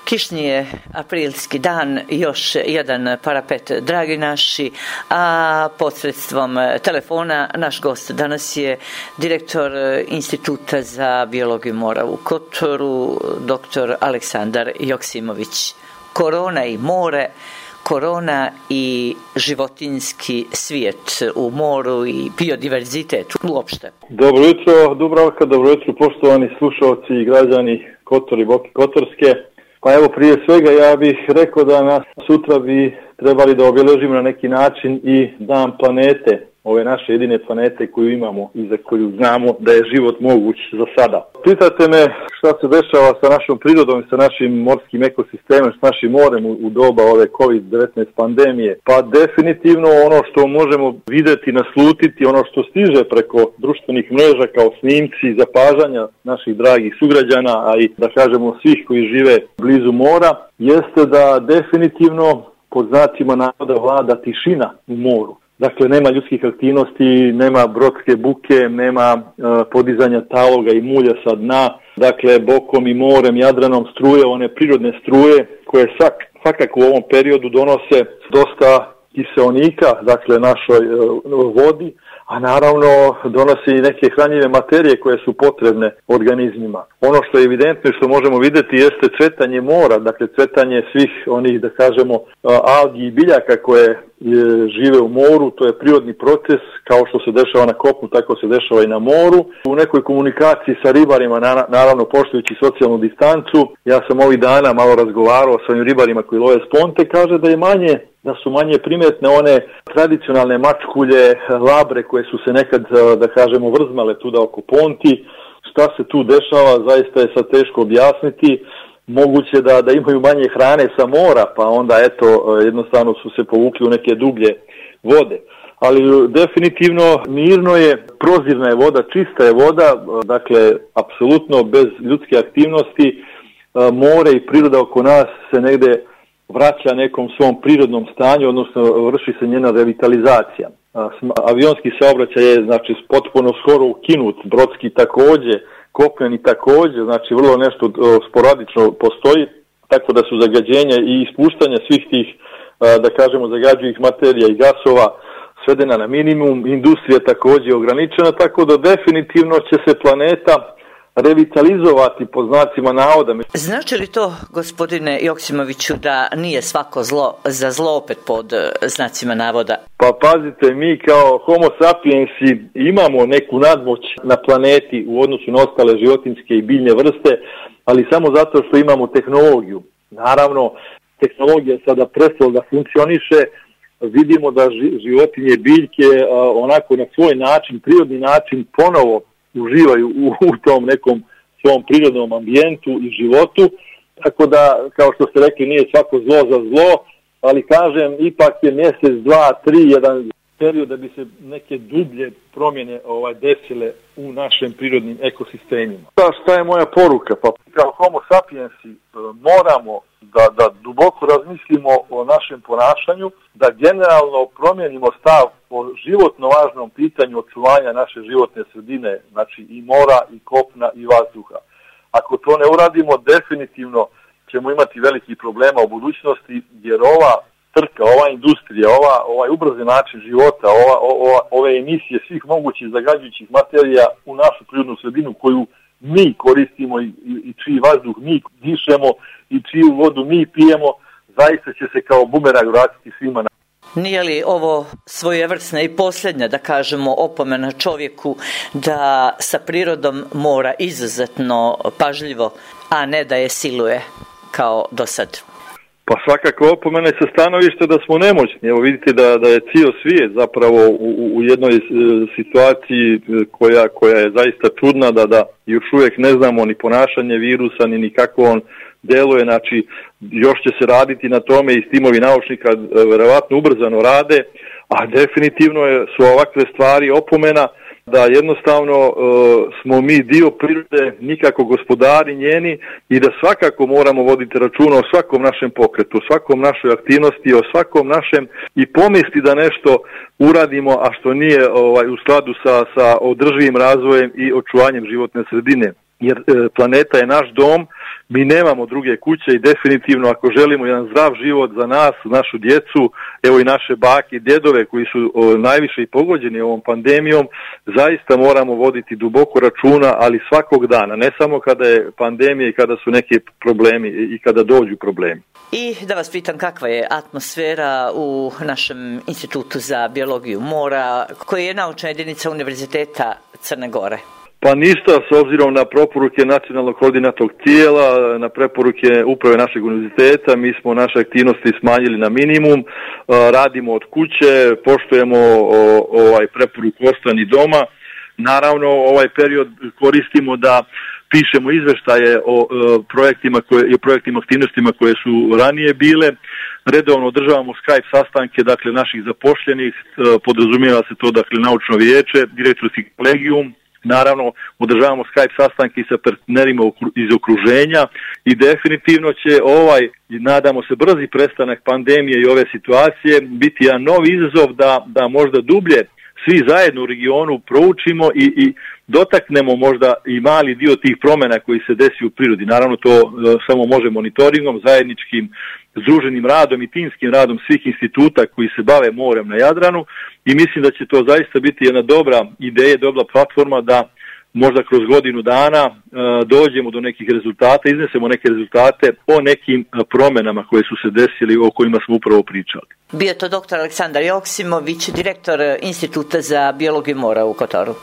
Kišni je aprilski dan, još jedan parapet, dragi naši, a posredstvom telefona naš gost danas je direktor Instituta za biologiju mora u Kotoru, dr. Aleksandar Joksimović. Korona i more, korona i životinjski svijet u moru i biodiverzitet uopšte. Dobro jutro, Dubravka, dobro jutro, poštovani slušalci i građani Kotor i Boke Kotorske. Pa evo, prije svega ja bih rekao da nas sutra bi trebali da obilježimo na neki način i dan planete, ove naše jedine planete koju imamo i za koju znamo da je život moguć za sada. Pitate me šta se dešava sa našom prirodom i sa našim morskim ekosistemom, s našim morem u doba ove COVID-19 pandemije. Pa definitivno ono što možemo vidjeti, naslutiti, ono što stiže preko društvenih mreža kao snimci, zapažanja naših dragih sugrađana, a i da kažemo svih koji žive blizu mora, jeste da definitivno pod znacima navoda vlada tišina u moru. Dakle, nema ljudskih aktivnosti, nema brodske buke, nema podizanja taloga i mulja sa dna. Dakle, bokom i morem, Jadranom struje, one prirodne struje koje svakako u ovom periodu donose dosta kiseonika, dakle, našoj vodi, a naravno donosi i neke hranjive materije koje su potrebne organizmima. Ono što je evidentno i što možemo vidjeti jeste cvetanje mora, dakle cvetanje svih onih, da kažemo, algi i biljaka koje žive u moru. To je prirodni proces, kao što se dešava na kopnu, tako se dešava i na moru. U nekoj komunikaciji sa ribarima, naravno poštujući socijalnu distancu, ja sam ovih dana malo razgovarao sa ovim ribarima koji love sponte, kaže da su manje primjetne one tradicionalne mačkulje, labre koje su se nekad, da kažemo, vrzmale tuda oko ponti. Šta se tu dešava, zaista je sad teško objasniti. Moguće da imaju manje hrane sa mora, pa onda jednostavno su se povukli u neke dublje vode. Ali definitivno mirno je, prozirna je voda, čista je voda, dakle apsolutno bez ljudske aktivnosti. More i priroda oko nas se negde vraća nekom svom prirodnom stanju, odnosno vrši se njena revitalizacija. Avionski saobraćaj je potpuno skoro ukinut, brodski također, kopneni također, znači vrlo nešto sporadično postoji, tako da su zagađenja i ispuštanja svih tih, da kažemo, zagađujućih materija i gasova svedena na minimum, industrija također ograničena, tako da definitivno će se planeta revitalizovati po znacima navoda. Znači li to, gospodine Joksimoviću, da nije svako zlo za zlo opet pod znacima navoda? Pa pazite, mi kao homo sapiensi imamo neku nadmoć na planeti u odnosu na ostale životinjske i biljne vrste, ali samo zato što imamo tehnologiju. Naravno, tehnologija sada prestala da funkcioniše, vidimo da životinje i biljke onako na svoj način, prirodni način ponovo uživaju u tom nekom svom prirodnom ambijentu i životu, tako da, kao što ste rekli, nije svako zlo za zlo, ali kažem, ipak je mjesec, 2, 3, jedan period da bi se neke dublje promjene desile u našim prirodnim ekosistemima. Šta je moja poruka? Pa kao homo sapiensi moramo da duboko razmislimo o našem ponašanju, da generalno promijenimo stav o životno važnom pitanju očuvanja naše životne sredine, znači i mora, i kopna, i vazduha. Ako to ne uradimo, definitivno ćemo imati velikih problema u budućnosti, jer ova trka, ova industrija, ovaj ubrzan način života, ove emisije svih mogućih zagađujućih materija u našu prirodnu sredinu koju mi koristimo i čiji vazduh mi dišemo i čiju vodu mi pijemo, zaista će se kao bumerang vratiti svima na. Nije li ovo svojevrsna i posljednja, da kažemo, opomena čovjeku da sa prirodom mora izuzetno pažljivo, a ne da je siluje kao do sad? Pa svakako opomene sa stanovišta da smo nemoćni. Evo vidite da je cijel svijet zapravo u jednoj situaciji koja je zaista čudna, da još uvijek ne znamo ni ponašanje virusa, ni kako on djeluje. Znači, još će se raditi na tome i timovi naučnika verovatno ubrzano rade, a definitivno su ovakve stvari opomena da jednostavno smo mi dio prirode, nikako gospodari njeni, i da svakako moramo voditi računa o svakom našem pokretu, o svakom našoj aktivnosti, o svakom našem i pomisli da nešto uradimo, a što nije u skladu sa održivim razvojem i očuvanjem životne sredine. jer planeta je naš dom, mi nemamo druge kuće i definitivno ako želimo jedan zdrav život za nas, našu djecu, evo i naše bake i djedove koji su najviše i pogođeni ovom pandemijom, zaista moramo voditi duboko računa, ali svakog dana, ne samo kada je pandemija i kada su neki problemi i kada dođu problemi. I da vas pitam kakva je atmosfera u našem Institutu za biologiju mora, koji je naučna jedinica Univerziteta Crne Gore? Pa ništa, s obzirom na preporuke nacionalnog koordinatornog tijela, na preporuke uprave našeg univerziteta, mi smo naše aktivnosti smanjili na minimum, radimo od kuće, poštujemo preporuku ostani doma. Naravno, ovaj period koristimo da pišemo izveštaje o projektima aktivnostima koje su ranije bile. Redovno održavamo Skype sastanke, dakle, naših zapošljenih, podrazumijeva se to, dakle, naučno vijeće, direktorski kolegijum. Naravno, održavamo Skype sastanke sa partnerima iz okruženja i definitivno će nadamo se, brzi prestanak pandemije i ove situacije biti jedan novi izazov da možda dublje svi zajedno u regionu proučimo i dotaknemo možda i mali dio tih promjena koji se desi u prirodi. Naravno, to samo može monitoringom, zajedničkim združenim radom i timskim radom svih instituta koji se bave morem na Jadranu i mislim da će to zaista biti jedna dobra ideja, dobra platforma da možda kroz godinu dana dođemo do nekih rezultata, iznesemo neke rezultate o nekim promjenama koje su se desili, o kojima smo upravo pričali. Bio to dr. Aleksandar Joksimović, direktor Instituta za biologiju mora u Kotoru.